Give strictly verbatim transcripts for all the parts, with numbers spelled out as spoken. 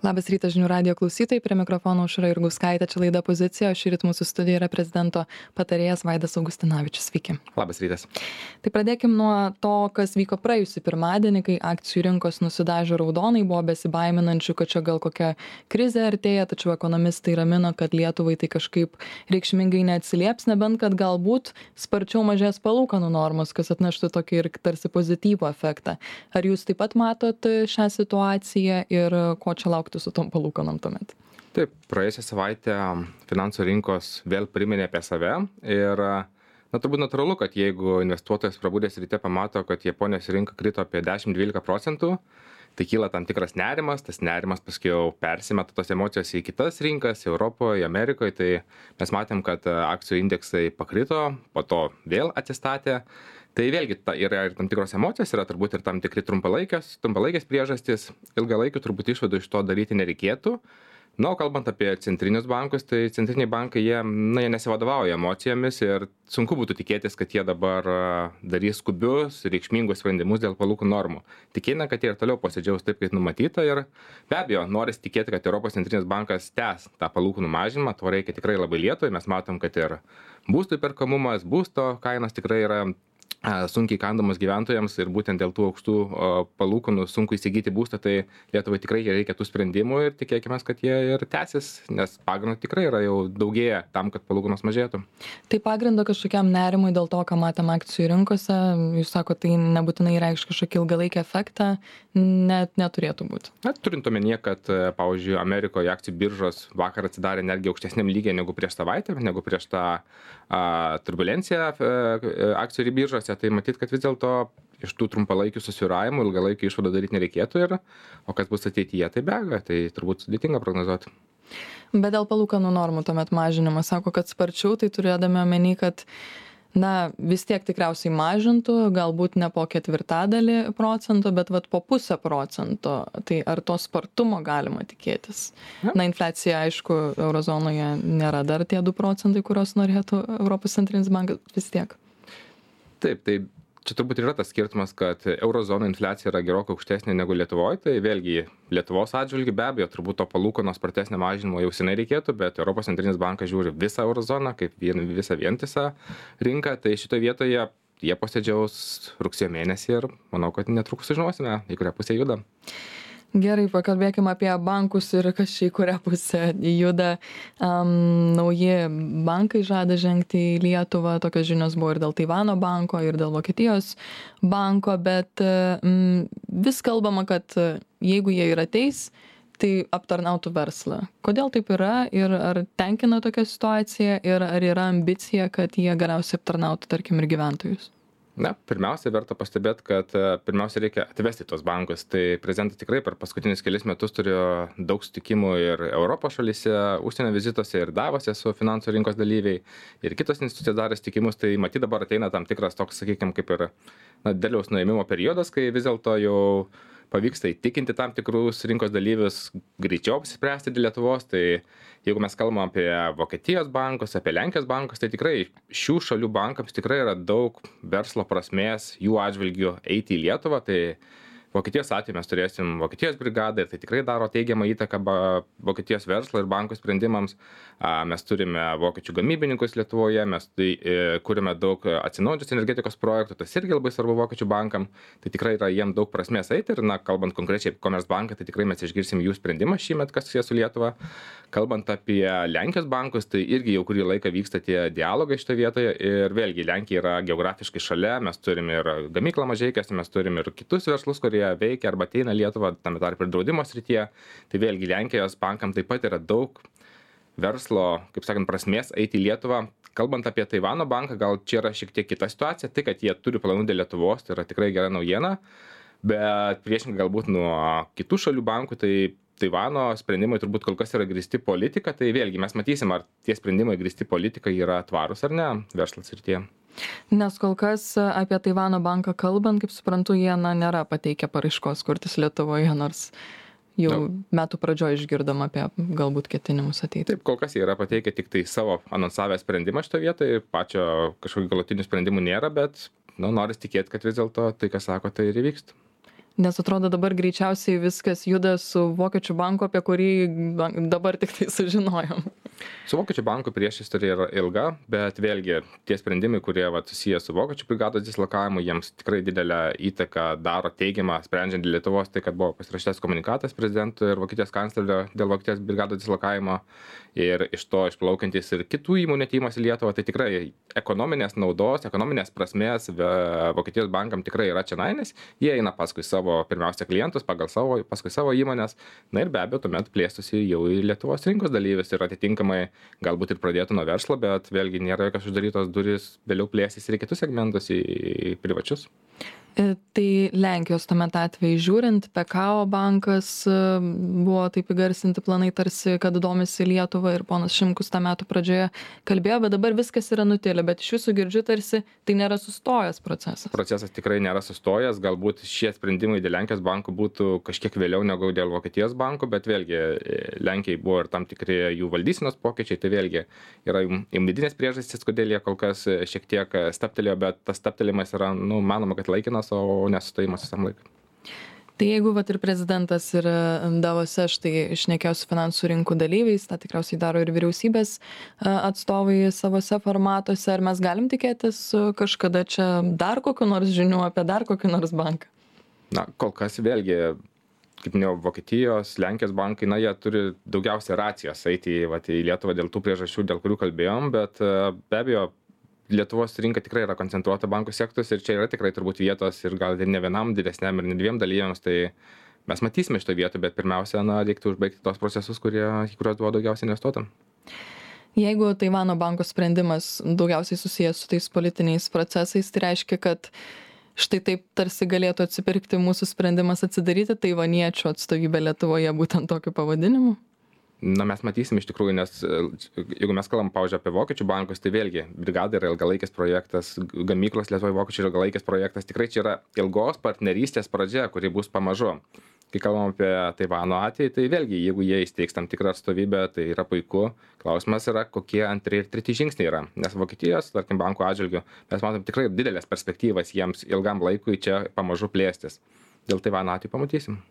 Labas rytas žinių radijo klausytojai, prie mikrofono Aušra Jurgauskaitė, čia laida Pozicija, o šįryt mūsų studijoje yra prezidento patarėjas Vaidas Augustinavičius. Sveiki. Labas rytas. Tai pradėkim nuo to, kas vyko praėjusį pirmadienį, kai akcijų rinkos nusidažė raudonai, buvo besibaiminančių, kad čia gal kokia krizė artėja, tačiau ekonomistai ramino, kad Lietuvai tai kažkaip reikšmingai neatsilieps, nebent kad galbūt sparčiau mažės palūkanų normos, kas atneštų tokį ir tarsi pozityvų efektą. Ar jūs taip pat matot šią situaciją ir ko čia laukti su tom palūkanom tuomet? Taip, praėjusią savaitę finansų rinkos vėl priminė apie save ir na, turbūt natūralu, kad jeigu investuotojas prabudęs ryte pamato, kad Japonijos rinka krito apie dešimt dvylika procentų, tai kyla tam tikras nerimas, tas nerimas paskui jau persimeta tos emocijos į kitas rinkas, Europoje, Amerikoje, tai mes matėm, kad akcijų indeksai pakrito, po to vėl atsistatė. Tai vėlgi ta, yra ir tam tikros emocijos, yra turbūt ir tam tikri trumpalaikės, trumpalaikės priežastys, ilgalaikių turbūt išvadų iš to daryti nereikėtų. Na, o kalbant apie centrinius bankus, tai centriniai bankai, jie, na, jie nesivadovauja emocijomis ir sunku būtų tikėtis, kad jie dabar darys skubius, reikšmingus sprendimus dėl palūkanų normų. Tikėtina, kad jie ir toliau posėdžiaus taip, kaip numatyta ir be abejo, noris tikėti, kad Europos centrinis bankas tęs tą palūkanų mažinimą, to reikia tikrai labai Lietuvai, mes matom, kad ir būstų įperkamumas, būsto kainos tikrai yra sunkiai kandamos gyventojams ir būtent dėl tų aukštų palūkanų sunku įsigyti būstą, tai Lietuvai tikrai reikia tų sprendimų ir tikėkime, kad jie ir tęsis, nes pagrindo tikrai yra jau daugėja tam, kad palūkanos mažėtų. Tai pagrindo kažkokiam nerimui dėl to, ką matėm akcijų rinkose, jūs sako, tai nebūtinai reikš kažkokį ilgalaikį efektą, net neturėtų būti. Na, turint omenyje, kad, pavyzdžiui, Amerikoje akcijų biržos vakar atsidarė netgi aukštesniam lygiai negu prieš savaitę, negu prieš tą a, turbulenciją a, akcijų biržose, tai matyt, kad vis dėlto iš tų trumpalaikių susvyravimų ilgalaikių išvadų daryti nereikėtų ir, o kas bus ateityje, tai be abejo, tai turbūt sudėtinga prognozuoti. Bet dėl palūkanų normų tuomet mažinimo sako, kad sparčiau, tai turėdami omeny, kad na, vis tiek tikriausiai mažintų, galbūt ne po ketvirtadalį procento, bet vat po pusę procento. Tai ar to spartumo galima tikėtis? Ja. Na, infliacija, aišku, eurozonoje nėra dar tie du procentai, kurios norėtų Europos centrinis bankas vis tiek. Taip, tai čia turbūt yra tas skirtumas, kad eurozono infliacija yra gerokai aukštesnė negu Lietuvoje, tai vėlgi Lietuvos atžvilgiu be abejo turbūt to palūkanos spartesnio mažinimo jau seniai reikėtų, bet Europos centrinis bankas žiūri visą eurozoną kaip vien, visą vientisą rinką, tai šitoje vietoje jie posėdžiaus rugsėjo mėnesį ir manau, kad netrukus sužinosime, į kurią pusę juda. Gerai, pakalbėkime apie bankus ir kas čia į kurią pusę juda. Um, nauji bankai žada žengti į Lietuvą, tokios žinios buvo ir dėl Taivano banko, ir dėl Vokietijos banko, bet um, vis kalbama, kad jeigu jie ir ateis, tai aptarnautų verslą. Kodėl taip yra ir ar tenkina tokia situacija ir ar yra ambicija, kad jie galiausiai aptarnautų, tarkim, ir gyventojus? Na, pirmiausia, verta pastebėti, kad pirmiausia reikia atvesti tos bankus. Tai prezidentas tikrai per paskutinius kelius metus turėjo daug sutikimų ir Europos šalyse, užsienio vizituose ir Davose su finansų rinkos dalyviai ir kitos institucijos darė sutikimus. Tai matyt dabar ateina tam tikras toks, sakykime, kaip ir na, derliaus nuėmimo periodas, kai vis dėlto jau pavyksta įtikinti tam tikrus rinkos dalyvius greičiau apsispręsti dėl Lietuvos. Tai jeigu mes kalbam apie Vokietijos bankus, apie Lenkijos bankus, tai tikrai šių šalių bankams tikrai yra daug verslo prasmės jų atžvilgių eiti į Lietuvą. Tai Vokietijos atveju mes turėsim Vokietijos brigadą ir tai tikrai daro teigiamą įtaką Vokietijos verslo ir bankų sprendimams. Mes turime vokiečių gamybininkus Lietuvoje, mes tai, kurime daug atsinaujinančios energetikos projektų, tas irgi labai svarbu vokiečių bankam, tai tikrai yra jiem daug prasmės eiti ir, na, kalbant konkrečiai apie Commerzbanką, tai tikrai mes išgirsim jų sprendimą šįmet, kas susijęs su Lietuva. Kalbant apie Lenkijos bankus, tai irgi jau kurį laiką vyksta tie dialogai šitoje vietoje ir vėlgi Lenkija yra geografiškai šalia, mes turime ir gamyklą Mažeikiuose, mes turime ir kitus verslus, kurie veikia arba ateina Lietuvą, tame tarp ir draudimo srityje. Tai vėlgi Lenkijos bankam taip pat yra daug verslo, kaip sakant, prasmės eiti į Lietuvą. Kalbant apie Taivano banką, gal čia yra šiek tiek kita situacija, tai kad jie turi planų dėl Lietuvos, tai yra tikrai gera naujiena, bet priešingai galbūt nuo kitų šalių bankų, tai Taivano sprendimai turbūt kol kas yra grįsti politika, tai vėlgi mes matysim, ar tie sprendimai grįsti politika yra tvarūs ar ne verslo srityje. Nes kol kas apie Taivano banką kalbant, kaip suprantu, jie na, nėra pateikę paraiškos kurtis Lietuvoje, nors jau no. metų pradžioje išgirdom apie galbūt ketinimus ateiti. Taip, kol kas jie yra pateikę tik tai savo anonsavę sprendimą šito vietoje, pačio kažkokių galutinių sprendimų nėra, bet nu, noris tikėti, kad vis dėlto tai, ką sako, tai ir įvyksta. Nes atrodo dabar greičiausiai viskas juda su Vokiečių banku, apie kurį dabar tik tai sužinojom. Su Vokiečių banku priešistorė yra ilga, bet vėlgi tie sprendimai, kurie vat, susiję su Vokiečių brigados dislokavimu, jiems tikrai didelę įtaką daro teigiamą, sprendžiant Lietuvos, tai kad buvo pasirašytas komunikatas prezidentui ir Vokietijos kanclerio dėl Vokietijos brigados dislokavimo ir iš to išplaukiantis ir kitų įmonių atėjimas į Lietuvą, tai tikrai ekonominės naudos, ekonominės prasmės Vokietijos bankam tikrai yra čia nainis, jie eina paskui savo pirmiausia klientus, pagal savo, paskui savo įmonės, na ir be abejo tuomet plėstųsi jau į Lietuvos rinkos dalyvius ir atitinkamai galbūt ir pradėtų nuo verslo, bet vėlgi nėra jokios uždarytos durys vėliau plėsis ir į kitus segmentus, į privačius. Tai Lenkijos tuomet atveju žiūrint, Pekao bankas buvo taip įgarsinti planai tarsi, kad domisi Lietuvą ir ponas Šimkus tą metų pradžioje kalbėjo, bet dabar viskas yra nutilę, bet iš jūsų girdžiu tarsi tai nėra sustojęs procesas. Procesas tikrai nėra sustojęs, galbūt šie sprendimai dėl Lenkijos bankų būtų kažkiek vėliau negu dėl Vokietijos bankų, bet vėlgi Lenkijai buvo ir tam tikri jų valdysenos pokyčiai, tai vėlgi yra jų vidinės priežastys, kodėl jie kol kas šiek tiek stabtelėjo, bet tas stabtelimas yra, nu, manoma, kad laikinas, o nesustojimas visam laikui. Tai jeigu vat ir prezidentas ir Davose štai šnekėjo su finansų rinkų dalyviais, tą tikriausiai daro ir vyriausybės atstovai savose formatuose, ar mes galim tikėtis kažkada čia dar kokiu nors žinių apie dar kokį nors banką? Na, kol kas vėlgi, kaip minėjau, Vokietijos, Lenkijos bankai, na, jie turi daugiausia racijos eiti vat, į Lietuvą dėl tų priežasčių, dėl kurių kalbėjom, bet be abejo, Lietuvos rinka tikrai yra koncentruota bankų sektorius ir čia yra tikrai turbūt vietos ir gal ir ne vienam didesniam ir ne dviem dalyviams, tai mes matysime šitą vietą, bet pirmiausia, na, reiktų užbaigti tos procesus, kurie, į kuriuos buvo daugiausiai investuota. Jeigu Taivano banko sprendimas daugiausiai susijęs su tais politiniais procesais, tai reiškia, kad štai taip tarsi galėtų atsipirkti mūsų sprendimas atsidaryti taivaniečių atstovybę Lietuvoje būtent tokiu pavadinimu? Na, mes matysim iš tikrųjų, nes jeigu mes kalbam, pavyzdžiui, apie Vokiečių bankus, tai vėlgi, brigada yra ilgalaikis projektas, gamyklos Lietuvoje Vokiečių yra ilgalaikis projektas, tikrai čia yra ilgos partnerystės pradžia, kuri bus pamažu. Kai kalbam apie Taivano atvejį, tai vėlgi, jeigu jie įsteigs tam tikrą atstovybę, tai yra puiku. Klausimas yra, kokie antri ir treti žingsniai yra. Nes Vokietijos, tarkim, bankų atžvilgiu, mes matom tikrai didelės perspektyvas jiems ilgam laikui čia pamažu plėstis. Dėl Taivano atveju pamatysim.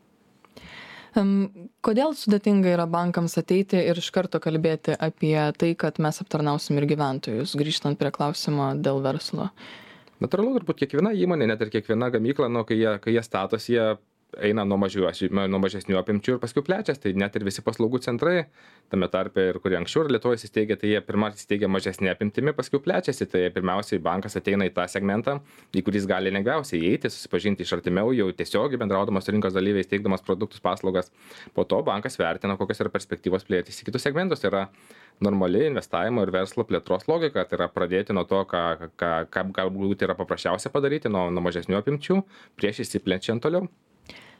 Kodėl sudėtinga yra bankams ateiti ir iš karto kalbėti apie tai, kad mes aptarnausim ir gyventojus, grįžtant prie klausimo dėl verslo? Natūralu, turbūt kiekviena įmonė, net ir kiekviena gamykla, nu, kai jie, kai jie statosi, jie eina nuo, mažiu, nuo mažesnių apimčių ir paskui plečias, tai net ir visi paslaugų centrai, tame tarpe ir kurie anksčiau ir Lietuvoje įsteigė, tai jie pirmą įsteigė mažesnė apimtimi, paskui plečiasi, tai pirmiausiai bankas ateina į tą segmentą, į kuris gali lengviausiai įeiti, susipažinti iš artimiau, jau tiesiogiai bendraudamas su rinkos dalyviais, teikdamas produktus, paslaugas. Po to bankas vertina, kokios yra perspektyvos plėtis į kitus segmentus. Tai yra normali investavimo ir verslo plėtros logika, tai yra pradėti nuo to, ką, ką, ką galbūt yra paprasčiausia padaryti, nuo, nuo mažesnių apimčių, prieš įsiplečiant toliau.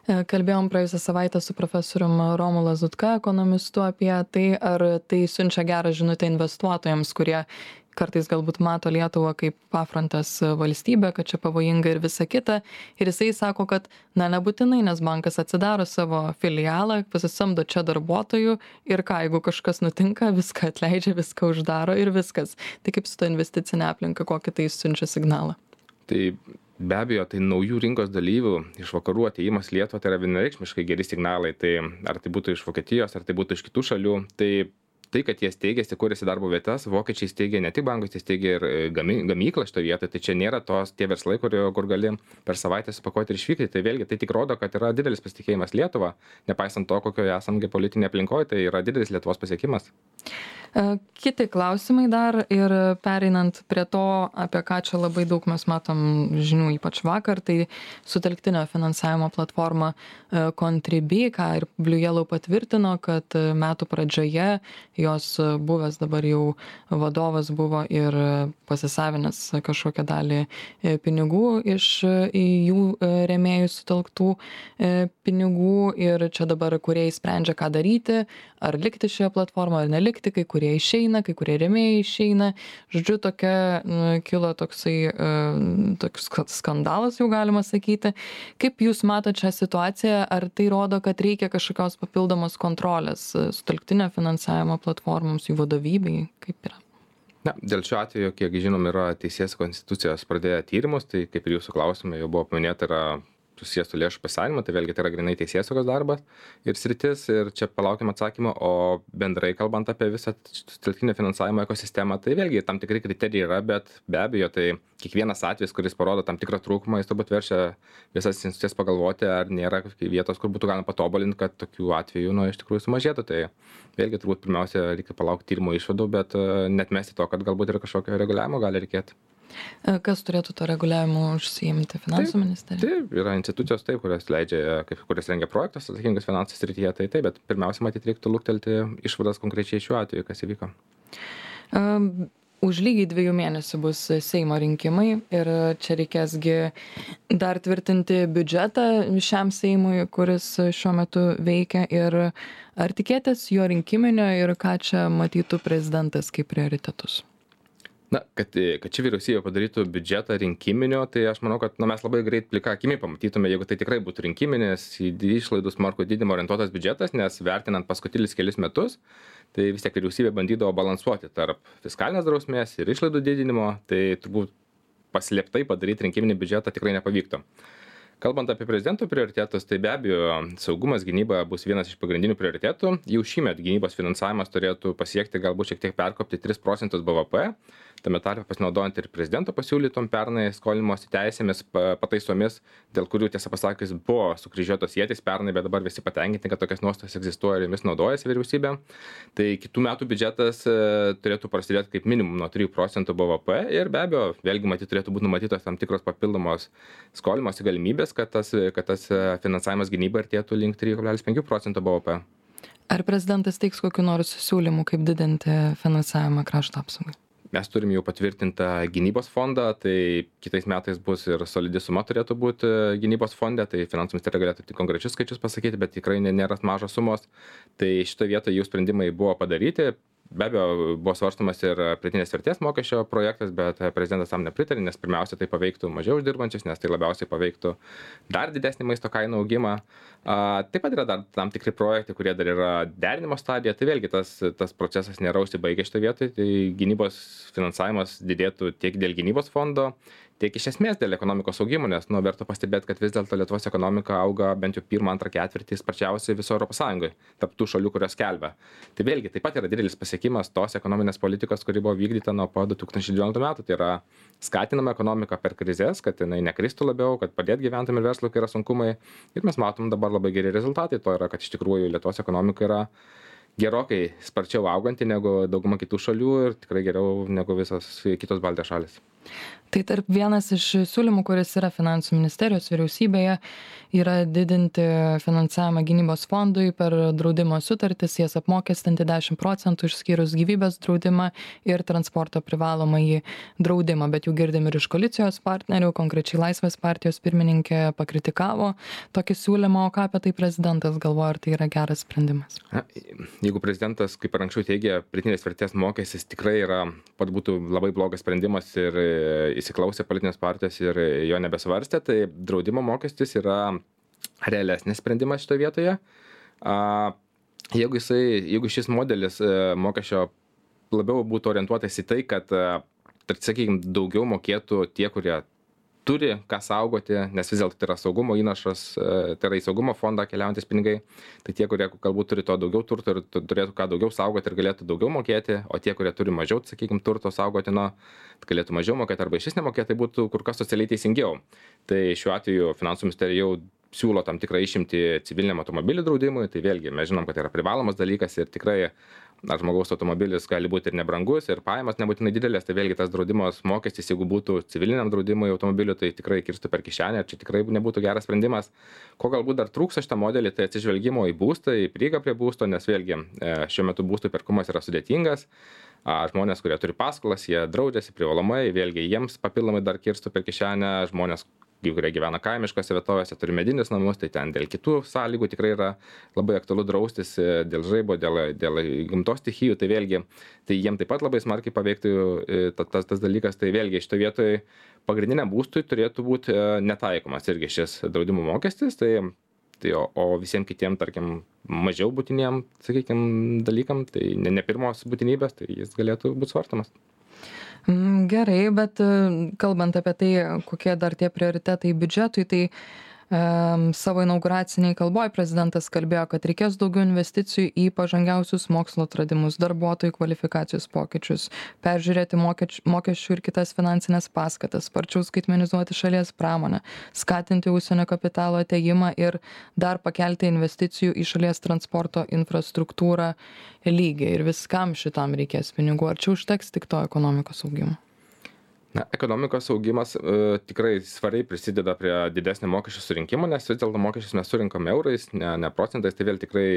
Kalbėjom praėjusią savaitę su profesorium Romu Lazutka, ekonomistu, apie tai, ar tai siunčia gerą žinutę investuotojams, kurie kartais galbūt mato Lietuvą kaip pafrontės valstybę, kad čia pavojinga ir visa kita. Ir jisai sako, kad na nebūtinai, nes bankas atsidaro savo filialą, pasisamdo čia darbuotojų ir ką, jeigu kažkas nutinka, viską atleidžia, viską uždaro ir viskas. Tai kaip su ta investicinė aplinka, kokį tai siunčia signalą? Tai be abejo, tai naujų rinkos dalyvių iš vakarų atėjimas Lietuvą, tai yra vienareikšmiškai geri signalai. Tai ar tai būtų iš Vokietijos, ar tai būtų iš kitų šalių, tai tai, kad jie steigėsi, kūrėsi darbo vietas, vokiečiai steigė ne tik bankus, jie steigė ir gamy, gamyklą šitoje vietoje, tai čia nėra tos tie verslai, kur, kur gali per savaitę supakuoti ir išvykti. Tai vėlgi tai tik rodo, kad yra didelis pasitikėjimas Lietuva, nepaisant to, kokioje esame politinėje aplinkoje, tai yra didelis Lietuvos pasiekimas. Kiti klausimai dar ir pereinant prie to, apie ką čia labai daug mes matom žinių, ypač vakar, tai sutelktinio finansavimo platforma Contribui, ką ir Blue Yellow patvirtino, kad metų pradžioje jos buvęs dabar jau vadovas buvo ir pasisavinęs kažkokią dalį pinigų iš jų rėmėjų sutelktų pinigų ir čia dabar kūrėjai sprendžia, ką daryti, ar likti šioje platformoje, ar nelikti, kai kurie išeina, kai kurie rėmėjai išeina. Žodžiu, tokia kilo toksai toks skandalas, jau galima sakyti. Kaip jūs matote šią situaciją, ar tai rodo, kad reikia kažkokios papildomos kontrolės sutelktinio finansavimo platformoms, jų vadovybei, kaip yra? Na, dėl šio atveju, kiek žinom, yra Teisės konstitucijos pradėję tyrimus, tai kaip ir jūsų klausime jau buvo paminėta, yra susijęs su lėšų pasisavinimu, tai vėlgi tai yra grinai teisėsaugos darbas ir sritis, ir čia palaukiam atsakymą, o bendrai kalbant apie visą telktinio finansavimo ekosistemą, tai vėlgi tam tikri kriterijai yra, bet be abejo, tai kiekvienas atvejis, kuris parodo tam tikrą trūkumą, jis turbūt verčia visas institucijas pagalvoti, ar nėra vietos, kur būtų galima patobulinti, kad tokių atvejų, nu, iš tikrųjų sumažėtų. Tai vėlgi turbūt pirmiausia reikia palaukti tyrimo išvadų, bet netmesti to, kad galbūt ir kažkokio reguliavimo gali reikėti. Kas turėtų to reguliavimu užsiimti? Finansų ministerija? Taip, yra institucijos taip, kurios leidžia, kaip, kurios rengia projektus atsakingus finansų srityje, tai taip, bet pirmiausia, matyt, reiktų luktelti išvadas konkrečiai šiuo atveju, kas įvyko. Um, už lygiai dviejų mėnesių bus Seimo rinkimai ir čia reikėsgi dar tvirtinti biudžetą šiam Seimui, kuris šiuo metu veikia, ir ar tikėtės jo rinkiminio ir ką čia matytų prezidentas kaip prioritetus? Na, kad, kad ši vyriausybė padarytų biudžetą rinkiminio, tai aš manau, kad nu, mes labai greit plika akimi pamatytume, jeigu tai tikrai būtų rinkiminis, į išlaidų smarkų didinimo orientuotas biudžetas, nes vertinant paskutinius kelius metus, tai vis tiek vyriausybė bandydavo balansuoti tarp fiskalinės drausmės ir išlaidų didinimo, tai turbūt paslėptai padaryti rinkiminį biudžetą tikrai nepavyktų. Kalbant apie prezidento prioritetus, tai be abejo saugumas, gynyba bus vienas iš pagrindinių prioritetų. Jau šįmet gynybos finansavimas turėtų pasiekti galbūt šiek tiek perkopti tris procentus B V P, tame tarpe pasinaudojant ir prezidento pasiūlytom pernai skolinimosi teisėmis, pataisomis, dėl kurių tiesą pasakius buvo sukryžiuotos ietis pernai, bet dabar visi patenkinti, kad tokias nuostatas egzistuoja ir jomis naudojasi vyriausybė. Tai kitų metų biudžetas turėtų prasidėti kaip minimum nuo trijų procentų B V P ir be abejo, vėlgi matyt turėtų būti numatytos tam tikros papildomos skolinimosi galimybės, kad tas, kad tas finansavimas gynybai artėtų link trijų kablelis penkių procentų B V P. Ar prezidentas teiks kokiu nors siūlymu, kaip didinti finansavimą krašto apsaugai? Mes turim jau patvirtintą gynybos fondą, tai kitais metais bus ir solidi suma turėtų būti gynybos fonde, tai finansų ministerija galėtų tik konkrečius skaičius pasakyti, bet tikrai nėra mažos sumos. Tai šitoje vietoje jų sprendimai buvo padaryti. Be abejo, buvo svarstomas ir pridėtinės vertės mokesčio projektas, bet prezidentas tam nepritarė, nes pirmiausia tai paveiktų mažiau uždirbančius, nes tai labiausiai paveiktų dar didesnį maisto kainų augimą. A, taip pat yra dar tam tikri projektai, kurie dar yra derinimo stadija, tai vėlgi tas, tas procesas nėra užsibaigęs šitoje vietoje, tai gynybos finansavimas didėtų tiek dėl gynybos fondo, tiek iš esmės dėl ekonomikos augimo, nes nu, verta pastebėti, kad vis dėlto Lietuvos ekonomika auga bent jau pirmą, antrą ketvirtį sparčiausiai viso Europos Sąjungoje, tarp tų šalių, kurios skelbia. Tai vėlgi taip pat yra didelis pasiekimas tos ekonominės politikos, kuri buvo vykdyta nuo po du tūkstančiai devynioliktų metų. Tai yra skatinama ekonomika per krizės, kad jinai nekristų labiau, kad padėtų gyventojams ir verslui, kai yra sunkumai. Ir mes matom dabar labai geri rezultatai. To yra, kad iš tikrųjų Lietuvos ekonomika yra gerokai sparčiau auganti negu dauguma kitų šalių ir tikrai geriau negu visos kitos Baltijos šalis. Tai tarp vienas iš siūlymų, kuris yra finansų ministerijos vyriausybėje, yra didinti finansavimą gynybos fondui per draudimo sutartis, jas apmokestinti dešimt procentų išskyrus gyvybės draudimą ir transporto privalomąjį draudimą. Bet jau girdim ir iš koalicijos partnerių, konkrečiai Laisvės partijos pirmininkė pakritikavo tokį siūlymą, o ką apie tai prezidentas galvoja, ar tai yra geras sprendimas? Na, jeigu prezidentas, kaip ir anksčiau teigia, pridėtinės vertės mokestis tikrai yra, pat būtų labai blogas sprendimas ir įsiklausė politinės partijos ir jo nebesvarstė, tai draudimo mokestis yra realesnis sprendimas šitoje vietoje. Jeigu, jisai, jeigu šis modelis mokesčio labiau būtų orientuotas į tai, kad, sakykime, daugiau mokėtų tie, kurie turi ką saugoti, nes vis dėlto tai yra saugumo įnašas, tai yra į saugumo fondą keliaujantis pinigai, tai tie, kurie galbūt turi to daugiau turto ir turėtų ką daugiau saugoti ir galėtų daugiau mokėti, o tie, kurie turi mažiau, sakykime, turto saugotino, galėtų mažiau mokėti arba išvis nemokėti, tai būtų kur kas socialiai teisingiau. Tai šiuo atveju finansų ministerija jau siūlo tam tikrą išimtį civiliniam automobilių draudimui, tai vėlgi mes žinom, kad tai yra privalomas dalykas ir tikrai ar žmogaus automobilis gali būti ir nebrangus, ir pajamas nebūtinai didelės, tai vėlgi tas draudimos mokestis, jeigu būtų civiliniam draudimui automobilių, tai tikrai kirstų per kišenę, ir čia tikrai nebūtų geras sprendimas. Ko galbūt dar trūksta šitą modelį, tai atsižvelgimo į būstą, į prieigą prie būsto, nes vėlgi šiuo metu būstų perkumas yra sudėtingas. Žmonės, kurie turi paskolas, jie draudžiasi privalomai, vėlgi jiems papildomai dar kirstų per kišenę, žmonės, kurie gyvena kaimiškose vietovėse, turi medinius namus, tai ten dėl kitų sąlygų tikrai yra labai aktualu draustis dėl žaibo, dėl, dėl gamtos stichijų, tai vėlgi, tai jiem taip pat labai smarkiai paveiktų tas, tas dalykas, tai vėlgi šitoje vietoje pagrindiniam būstui turėtų būti netaikomas irgi šis draudimo mokestis, tai, tai o, o visiems kitiem, tarkim, mažiau būtiniem, sakykime, dalykam, tai ne, ne pirmos būtinybės, tai jis galėtų būti svarstamas. Gerai, bet kalbant apie tai, kokie dar tie prioritetai biudžetui, tai Savo inauguraciniai kalboje prezidentas kalbėjo, kad reikės daugiau investicijų į pažangiausius mokslo atradimus, darbuotojų kvalifikacijos pokyčius, peržiūrėti mokesčių ir kitas finansinės paskatas, sparčiau skaitmenizuoti šalies pramonę, skatinti užsienio kapitalo atėjimą ir dar pakelti investicijų į šalies transporto infrastruktūrą lygį. Ir viskam šitam reikės pinigų. Ar čia užteks tik to ekonomikos augimo? Na, ekonomikos augimas e, tikrai svariai prisideda prie didesnio mokesčių surinkimo, nes vis dėlto mokesčius mes surinkam eurais, ne, ne procentais, tai vėl tikrai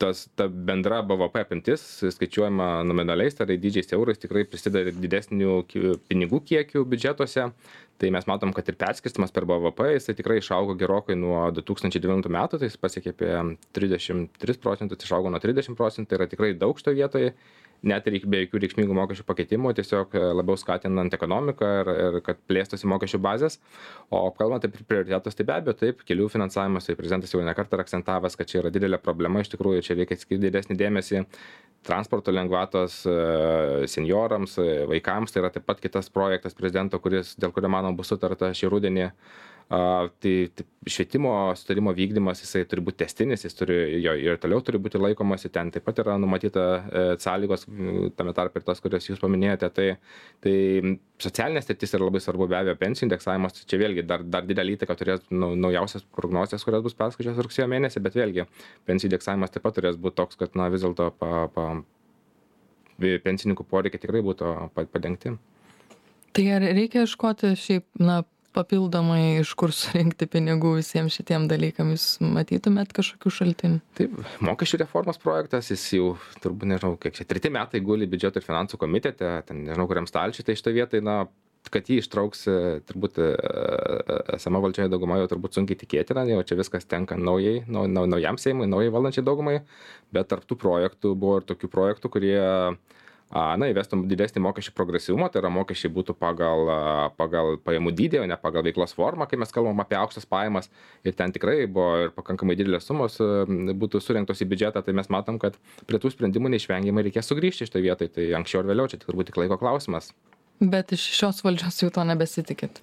tas, ta bendra B V P apimtis, skaičiuojama nominaliais, tai yra dydžiais eurais, tikrai prisideda didesnių pinigų kiekių biudžetuose. Tai mes matom, kad ir perskirstimas per B V P, jisai tikrai išaugo gerokai nuo du tūkstančiai devintų metų, tai jis pasiekė apie trisdešimt tris procentus, išaugo nuo trisdešimt procentų, tai yra tikrai daug šitoje vietoje. Net ir be jokių reikšmingų mokesčių pakeitimų, tiesiog labiau skatinant ekonomiką ir, ir kad plėstųsi mokesčių bazės. O kalbant apie prioritetus, tai be abejo, taip, kelių finansavimas, tai prezidentas jau ne kartą akcentavęs, kad čia yra didelė problema, iš tikrųjų čia reikia skirti didesnį dėmesį transporto lengvatos senjorams, vaikams, tai yra taip pat kitas projektas prezidento, kuris, dėl kurio, manau, bus sutarta šį rudenį. Uh, tai, tai švietimo sutarimo vykdymas, jisai turi būti tęstinis, jis turi, jo ir toliau turi būti laikomasi, ten taip pat yra numatyta e, sąlygos, tame tarp ir tas, kurias jūs paminėjote, tai, tai socialinės sritis yra labai svarbu, be abejo, pensijų indeksavimas, čia vėlgi dar, dar didelį įtaką turės nu, naujausias prognozijas, kurios bus perskaičiuos rugsėjo mėnesį, bet vėlgi pensijų indeksavimas taip pat turės būti toks, kad na, vis dėlto pa, pa, pensininkų poreikiai tikrai būtų padengti. Tai ar reikia ieškoti šiaip, na, papildomai iš kur surinkti pinigų visiems šitiem dalykam, jūs matytumėt kažkokių šaltinių? Taip, mokesčių reformos projektas, jis jau turbūt, nežinau, kiek čia, treti metai guli biudžeto ir finansų komitete, ten nežinau, kuriam stalčiui, tai šitoje vietoje, na, kad jį ištrauks, turbūt esama valdžioje dauguma jau turbūt sunkiai tikėtina, jau čia viskas tenka naujai, nau, nau, naujam Seimui, naujai valdančiai daugumai, bet tarp tų projektų buvo ir tokių projektų, kurie na, įvestum didesnį mokesčių progresyvumą, tai yra mokesčiai būtų pagal, pagal pajamų dydį, o ne pagal veiklos formą, kai mes kalbam apie aukštas pajamas ir ten tikrai buvo ir pakankamai didelės sumos būtų surinktos į biudžetą, tai mes matom, kad prie tų sprendimų neišvengiamai reikės sugrįžti šitoje vietoje, tai anksčiau ar vėliau čia turbūt tik laiko klausimas. Bet iš šios valdžios jau to nebesitikit.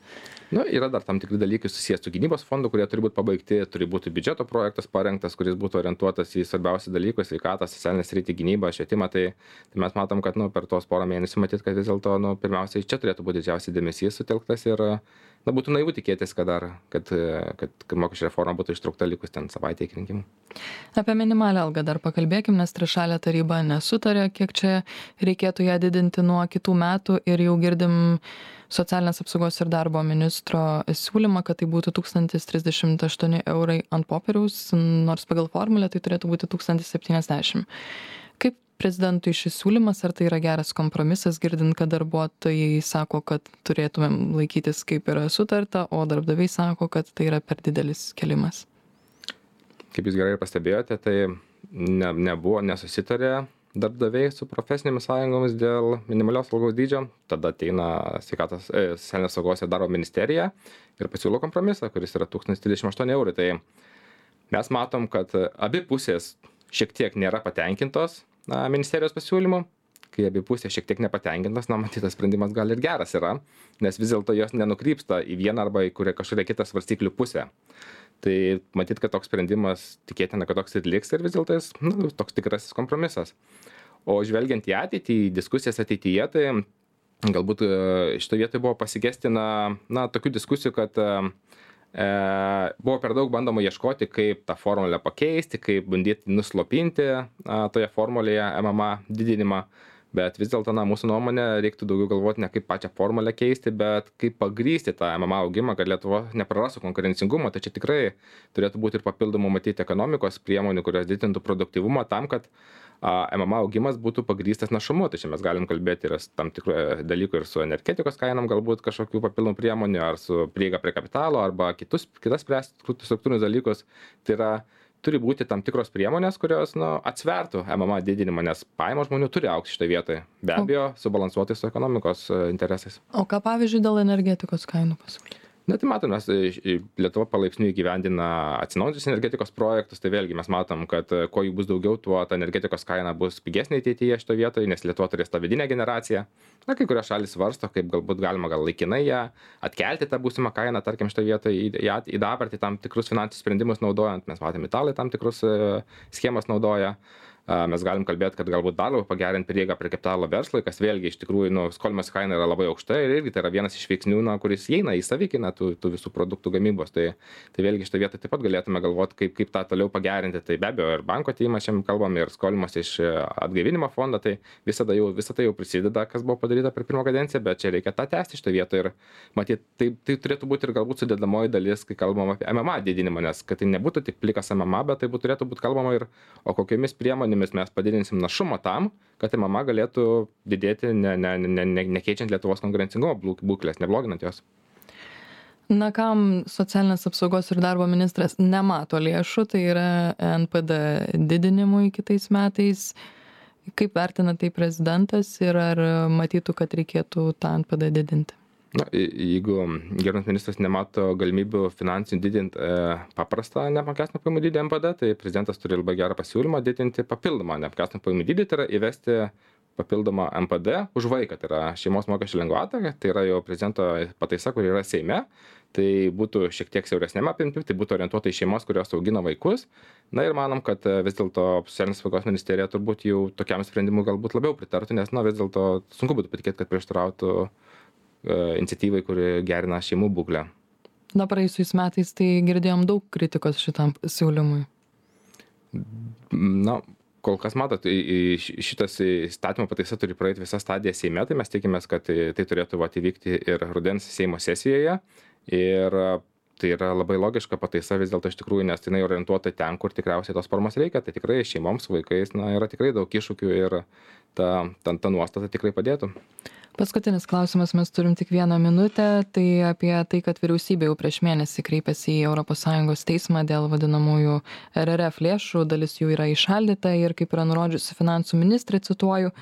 Nu, yra dar tam tikri dalykai susijęs su gynybos fondu, kurie turi būti pabaigti, turi būti biudžeto projektas parengtas, kuris būtų orientuotas į svarbiausią dalykus, sveikatą, socialinę sritį, gynybą, švietimą, tai, tai mes matom, kad nu, per tos porą mėnesių matyt, kad vis dėlto nu, pirmiausiai čia turėtų būti didžiausias dėmesys sutelktas ir na, būtų naivu tikėtis, kad, dar, kad, kad, kad mokesčių reforma būtų ištraukta likus ten savaitę iki rinkimų. Apie minimalią algą dar pakalbėkim, nes trišalė taryba nesutarė, kiek čia reikėtų ją didinti nuo kitų metų ir jau girdim socialinės apsaugos ir darbo ministro siūlymą, kad tai būtų tūkstantis trisdešimt aštuoni eurai ant popieriaus, nors pagal formulę tai turėtų būti tūkstantis septyniasdešimt. Kaip prezidentui šis siūlymas, ar tai yra geras kompromisas, girdint, kad darbuotojai sako, kad turėtumėm laikytis kaip yra sutarta, o darbdaviai sako, kad tai yra per didelis kėlimas? Kaip jūs gerai pastebėjote, tai ne, nebuvo, nesusitarė darbdaviai su profesinėmis sąjungomis dėl minimalios algos dydžio, tada ateina sveikatos, e, socialinės saugos ir darbo ministerija ir pasiūlo kompromisą, kuris yra tūkstantis trisdešimt aštuoni eurai. Tai mes matom, kad abi pusės šiek tiek nėra patenkintos na, ministerijos pasiūlymu, kai abi pusės šiek tiek nepatenkintas, na, matytas sprendimas gal ir geras yra, nes vis dėlto jos nenukrypsta į vieną arba į kurią kažkokią kitą svarstyklių pusę. Tai matyt, kad toks sprendimas tikėtina, kad toks ir liks ir vis dėlto jis nu, toks tikrasis kompromisas. O žvelgiant į ateitį, į diskusijas ateityje, tai galbūt šitoje vietoje buvo pasigestina na, tokių diskusijų, kad e, buvo per daug bandoma ieškoti, kaip tą formulę pakeisti, kaip bandyti nuslopinti a, toje formulėje M M A didinimą. Bet vis dėlto, na, mūsų nuomonė, reiktų daugiau galvoti ne kaip pačią formulę keisti, bet kaip pagrysti tą M M A augimą, kad Lietuva neprarastų konkurencingumo. Tai čia tikrai turėtų būti ir papildomų matyti ekonomikos priemonių, kurios didintų produktyvumą tam, kad a, M M A augimas būtų pagrystas našumu. Tai čia mes galim kalbėti ir tam tikrų dalykų ir su energetikos kainom, galbūt kažkokių papildomų priemonių, ar su prieiga prie kapitalo, arba kitus, kitas struktūrinius dalykus. Tai yra turi būti tam tikros priemonės, kurios nu, atsvertų M M A didinimą, nes pajamos žmonių turi augti šitoje vietoje. Be abejo, subalansuotai su ekonomikos interesais. O ką pavyzdžiui dėl energetikos kainų pasiūlyti? Na, tai matom, mes Lietuva palaipsniui įgyvendina atsinaujinančios energetikos projektus, tai vėlgi mes matom, kad kuo jų bus daugiau, tuo ta energetikos kaina bus pigesnė ateityje šito vietoje, nes Lietuva turės tą vidinę generaciją. Na, kai kurios šalis svarsto, kaip galbūt galima gal laikinai ją atkelti tą būsimą kainą, tarkim, šito vietoje į, į, į dabartį tam tikrus finansinius sprendimus naudojant. Mes matėme, italai tam tikrus schemas naudoja. Mes galim kalbėti, kad galbūt dar labiau pagerinti prieigą prie kapitalo verslui, kas vėlgi iš tikrųjų, nu, skolimosi kaina yra labai aukšta ir irgi tai yra vienas iš veiksnių, na, kuris įeina į savikainą tų, tų visų produktų gamybos. Tai, tai vėlgi šitą vietą taip pat galėtume galvoti, kaip, kaip tą toliau pagerinti. Tai be abejo ir banko atėjimas šiandien kalbam, ir skolimosi iš atgaivinimo fondo, tai visada jau, visą tai jau prisideda, kas buvo padaryta per pirmą kadenciją, bet čia reikia tą tęsti šitą vietą ir matyt, tai, tai turėtų būti ir galbūt sudėdamoji dalis, kai kalbam apie M M A didinimą, nes kad tai nebūtų tik plikas M M A, bet tai būtų, turėtų būti kalbama ir o kokiomis priemonėmis mes padidinsim našumą tam, kad M M A galėtų didėti, ne, ne, ne, ne, nekeičiant Lietuvos konkurencingumo būklės, nebloginant jos. Na, kam socialinės apsaugos ir darbo ministras nemato lėšų, tai yra N P D didinimui kitais metais. Kaip vertina tai prezidentas ir ar matytų, kad reikėtų tą N P D didinti? Na, jeigu gerbiamas ministras nemato galimybių finansinių didinti e, paprastą neapmokestinamą pajamų dydį N P D, tai prezidentas turi labai gerą pasiūlymą didinti papildomą neapmokestinamą pajamų dydį, tai yra įvesti papildomą N P D už vaiką, tai yra šeimos mokesčių lengvatą, tai yra jau prezidento pataisa, kur yra Seime, tai būtų šiek tiek siauresnėme apimti, tai būtų orientuota į šeimos, kurios augina vaikus. Na ir manom, kad vis dėlto socialinės apsaugos ministerija turbūt jau tokiam sprendimui galbūt labiau pritartų, nes na, vis dėlto sunku būtų patikėti, kad prieštarautų iniciatyvai, kuri gerina šeimų būklę. Na, praėjusiais metais tai girdėjom daug kritikos šitam siūlymui. Na, kol kas matot, šitas įstatymo pataisa turi praeiti visą stadiją Seime, tai mes tikimės, kad tai turėtų vat, įvykti ir rudens Seimo sesijoje. Ir tai yra labai logiška pataisa vis dėlto iš tikrųjų, nes jinai orientuota ten, kur tikriausiai tos formos reikia. Tai tikrai šeimoms, vaikais, na, yra tikrai daug iššūkių ir ta, ta, ta nuostata tikrai padėtų. Paskutinis klausimas, mes turim tik vieną minutę, tai apie tai, kad vyriausybė jau prieš mėnesį kreipėsi į Europos Sąjungos teismą dėl vadinamųjų R R F lėšų, dalis jų yra įšaldyta ir kaip yra nurodžiusi finansų ministrė, cituoju,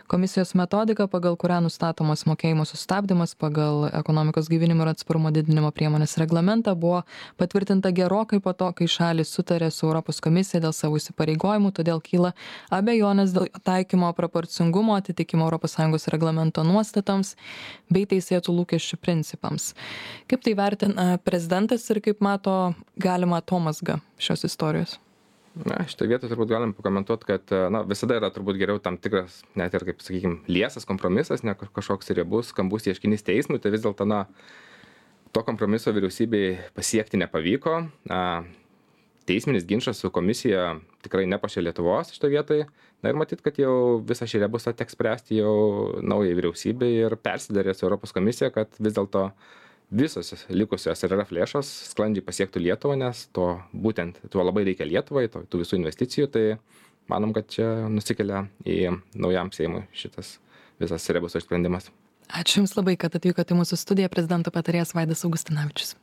komisijos metodika, pagal kurią nustatomas mokėjimo sustabdymas pagal ekonomikos gaivinimo ir atsparumo didinimo priemonės reglamentą buvo patvirtinta gerokai po to, kai šalis sutarė su Europos komisija dėl savo įsipareigojimų, todėl kyla abejonės dėl taikymo proporcingumo atitikimo Europos Sąjungos reglamento nuostatų nuostatoms bei teisėtų lūkesčių principams. Kaip tai vertina prezidentas ir kaip mato galima atomazgą šios istorijos? Na, šitą vietą turbūt galim pakomentuoti, kad na, visada yra turbūt geriau tam tikras, net ir kaip, sakykime, liesas kompromisas, ne kažkoks riebus, skambus ieškinys teismui, tai vis dėlto, na, to kompromiso vyriausybei pasiekti nepavyko. Na, teisminis ginčas su komisija tikrai nepašė Lietuvos šitą vietoj. Na ir matyt, kad jau visą šį rebusą teks spręsti jau naujai vyriausybei ir persidarė su Europos komisija, kad vis dėlto visos likusios R R F lėšos sklandžiai pasiektų Lietuvą, nes to būtent tuo labai reikia Lietuvai, to, tų visų investicijų, tai manom, kad čia nusikelia į naujam Seimui šitas visas rebuso išsprendimas. Ačiū Jums labai, kad atvykote į mūsų studiją, prezidento patarėjas Vaidas Augustinavičius.